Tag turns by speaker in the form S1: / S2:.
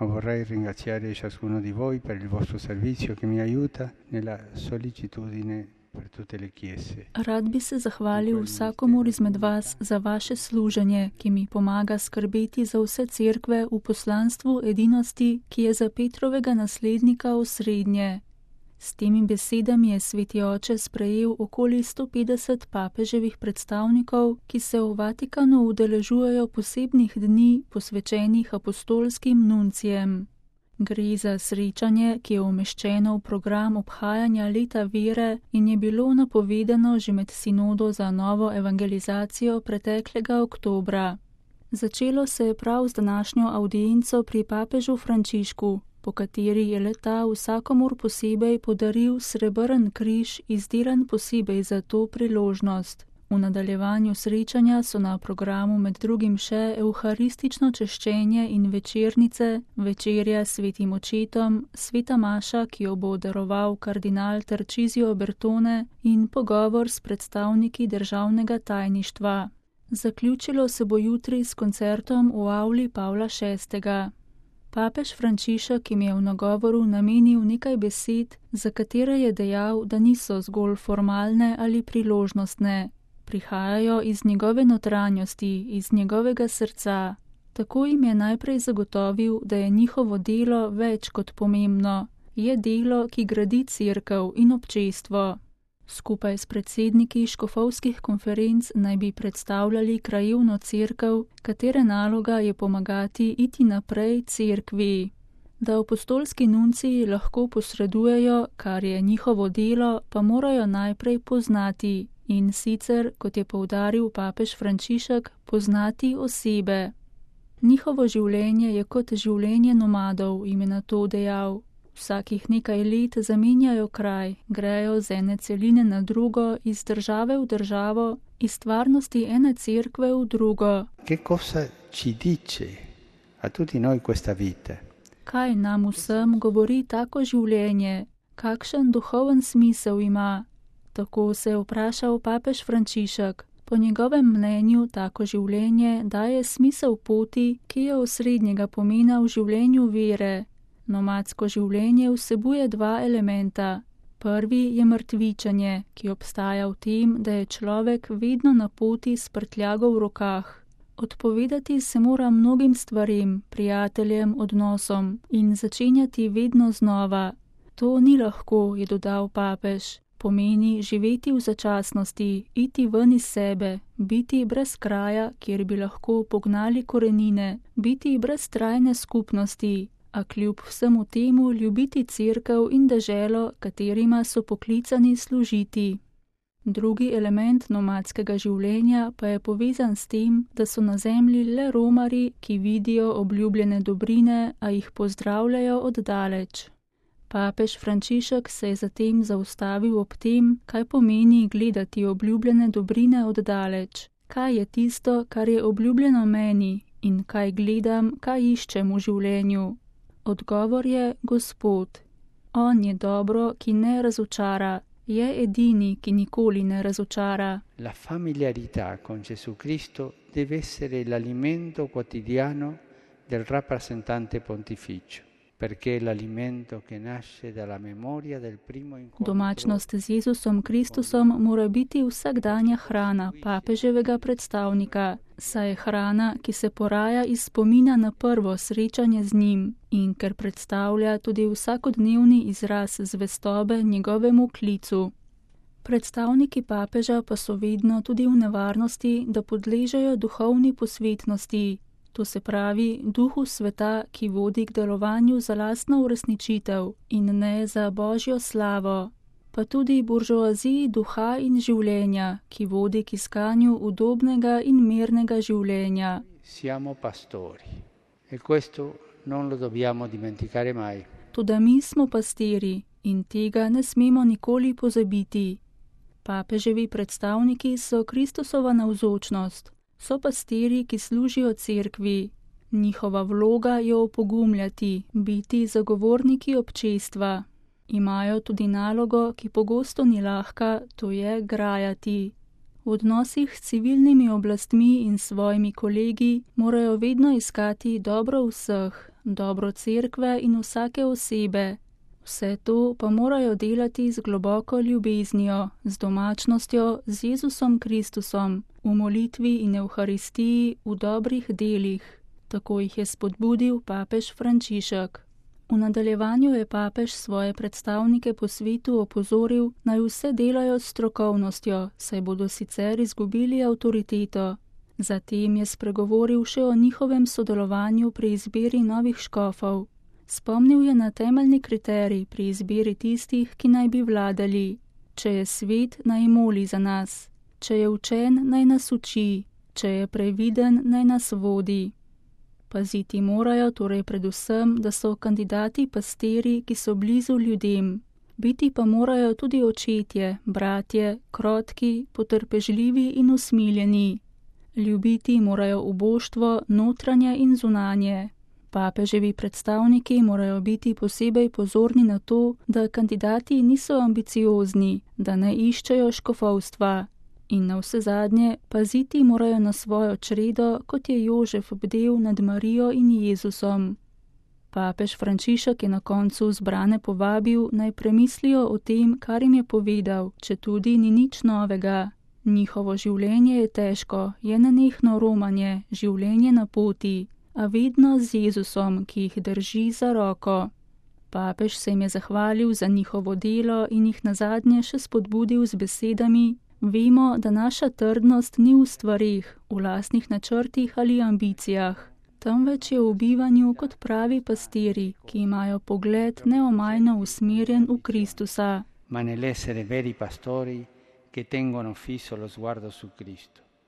S1: ma vorrei ringraziare ciascuno di voi per il vostro servizio che mi aiuta nella sollecitudine per tutte le chiese.
S2: Rad bi se zahvalil vsakomur izmed vas za vaše služenje, ki mi pomaga skrbeti za vse cerkve v poslanstvu edinosti, ki je za Petrovega naslednika osrednje. S temi besedami je Sveti oče sprejel okoli 150 papeževih predstavnikov, ki se v Vatikanu udeležujejo posebnih dni posvečenih apostolskim nuncijem. Gre za srečanje, ki je umeščeno v program obhajanja leta vere in je bilo napovedano že med sinodo za novo evangelizacijo preteklega oktobra. Začelo se je prav z današnjo avdienco pri papežu Frančišku, po kateri je le-ta vsakomur posebej podaril srebrn križ, izdelan posebej za to priložnost. V nadaljevanju srečanja so na programu med drugim še evharistično češčenje in večernice, večerja s svetim očetom, sveta maša, ki jo bo daroval kardinal Tarcisio Bertone, in pogovor s predstavniki državnega tajništva. Zaključilo se bo jutri s koncertom v avli Pavla VI. Papež Frančišek jim je v nagovoru namenil nekaj besed, za katere je dejal, da niso zgolj formalne ali priložnostne. Prihajajo iz njegove notranjosti, iz njegovega srca. Tako jim je najprej zagotovil, da je njihovo delo več kot pomembno. Je delo, ki gradi cerkev in občestvo. Skupaj s predsedniki škofovskih konferenc naj bi predstavljali krajevno cerkev, katere naloga je pomagati iti naprej cerkvi. Da apostolski nunciji lahko posredujejo, kar je njihovo delo, pa morajo najprej poznati. In sicer, kot je poudaril papež Frančišek, poznati osebe. Njihovo življenje je kot življenje nomadov, jim je na to dejal. Vsakih nekaj let zamenjajo kraj, grejo z ene celine na drugo, iz države v državo, iz stvarnosti ene cerkve v drugo.
S1: Che cosa ci dice a tutti noi questa vita?
S2: Kaj nam vsem govori tako življenje? Kakšen duhoven smisel ima? Tako se je vprašal papež Frančišek. Po njegovem mnenju tako življenje daje smisel poti, ki je osrednjega pomena v življenju vere. Nomadsko življenje vsebuje dva elementa. Prvi je mrtvičenje, ki obstaja v tem, da je človek vedno na poti s prtljago v rokah. Odpovedati se mora mnogim stvarem, prijateljem, odnosom in začenjati vedno znova. To ni lahko, je dodal papež. Pomeni živeti v začasnosti, iti ven iz sebe, biti brez kraja, kjer bi lahko pognali korenine, biti brez trajne skupnosti, a kljub vsemu temu ljubiti cerkev in deželo, katerima so poklicani služiti. Drugi element nomadskega življenja pa je povezan s tem, da so na zemlji le romarji, ki vidijo obljubljene dobrine, a jih pozdravljajo oddaleč. Papež Frančišek se je zatem zaustavil ob tem, kaj pomeni gledati obljubljene dobrine oddaleč. Kaj je tisto, kar je obljubljeno meni in kaj gledam, kaj iščem v življenju? Odgovor je Gospod. On je dobro, ki ne razočara, je edini, ki nikoli ne razočara.
S1: La familiarità con Gesù Cristo deve essere l'alimento quotidiano del rappresentante pontificio.
S2: Domačnost z Jezusom Kristusom mora biti vsakdanja hrana papeževega predstavnika, saj je hrana, ki se poraja iz spomina na prvo srečanje z njim in ker predstavlja tudi vsakodnevni izraz zvestobe njegovemu klicu. Predstavniki papeža pa so vedno tudi v nevarnosti, da podležejo duhovni posvetnosti. To se pravi duhu sveta, ki vodi k delovanju za lastno uresničitev in ne za Božjo slavo, pa tudi buržoaziji duha in življenja, ki vodi k iskanju udobnega in mirnega življenja.
S1: Siamo pastori e questo non lo dobbiamo dimenticare mai.
S2: Toda mi smo pastiri in tega ne smemo nikoli pozabiti. Papeževi predstavniki so Kristusova navzočnost. So pastiri, ki služijo cerkvi. Njihova vloga je opogumljati, biti zagovorniki občestva. Imajo tudi nalogo, ki pogosto ni lahka, to je grajati. V odnosih s civilnimi oblastmi in svojimi kolegi morajo vedno iskati dobro vseh, dobro cerkve in vsake osebe. Vse to pa morajo delati z globoko ljubeznijo, z domačnostjo, z Jezusom Kristusom, v molitvi in evharistiji, v dobrih delih. Tako jih je spodbudil papež Frančišek. V nadaljevanju je papež svoje predstavnike po svetu opozoril, naj vse delajo s strokovnostjo, saj bodo sicer izgubili avtoriteto. Zatem je spregovoril še o njihovem sodelovanju pri izbiri novih škofov. Spomnil je na temeljni kriterij pri izbiri tistih, ki naj bi vladali. Če je svet, naj moli za nas. Če je učen, naj nas uči. Če je previden, naj nas vodi. Paziti morajo torej predvsem, da so kandidati pastiri, ki so blizu ljudem. Biti pa morajo tudi očetje, bratje, krotki, potrpežljivi in usmiljeni. Ljubiti morajo uboštvo, notranje in zunanje. Papeževi predstavniki morajo biti posebej pozorni na to, da kandidati niso ambiciozni, da ne iščejo škofovstva. In navsezadnje paziti morajo na svojo čredo, kot je Jožef bdel nad Marijo in Jezusom. Papež Frančišek je na koncu zbrane povabil, naj premislijo o tem, kar jim je povedal, četudi ni nič novega. Njihovo življenje je težko, je nenehno romanje, življenje na poti, a vedno z Jezusom, ki jih drži za roko. Papež se jim je zahvalil za njihovo delo in jih nazadnje še spodbudil z besedami: vemo, da naša trdnost ni v stvareh, v lastnih načrtih ali ambicijah, temveč je v bivanju kot pravi pastiri, ki imajo pogled neomajno usmerjen v Kristusa.
S1: Ma nell'essere veri pastori che tengono fisso lo sguardo su Cristo.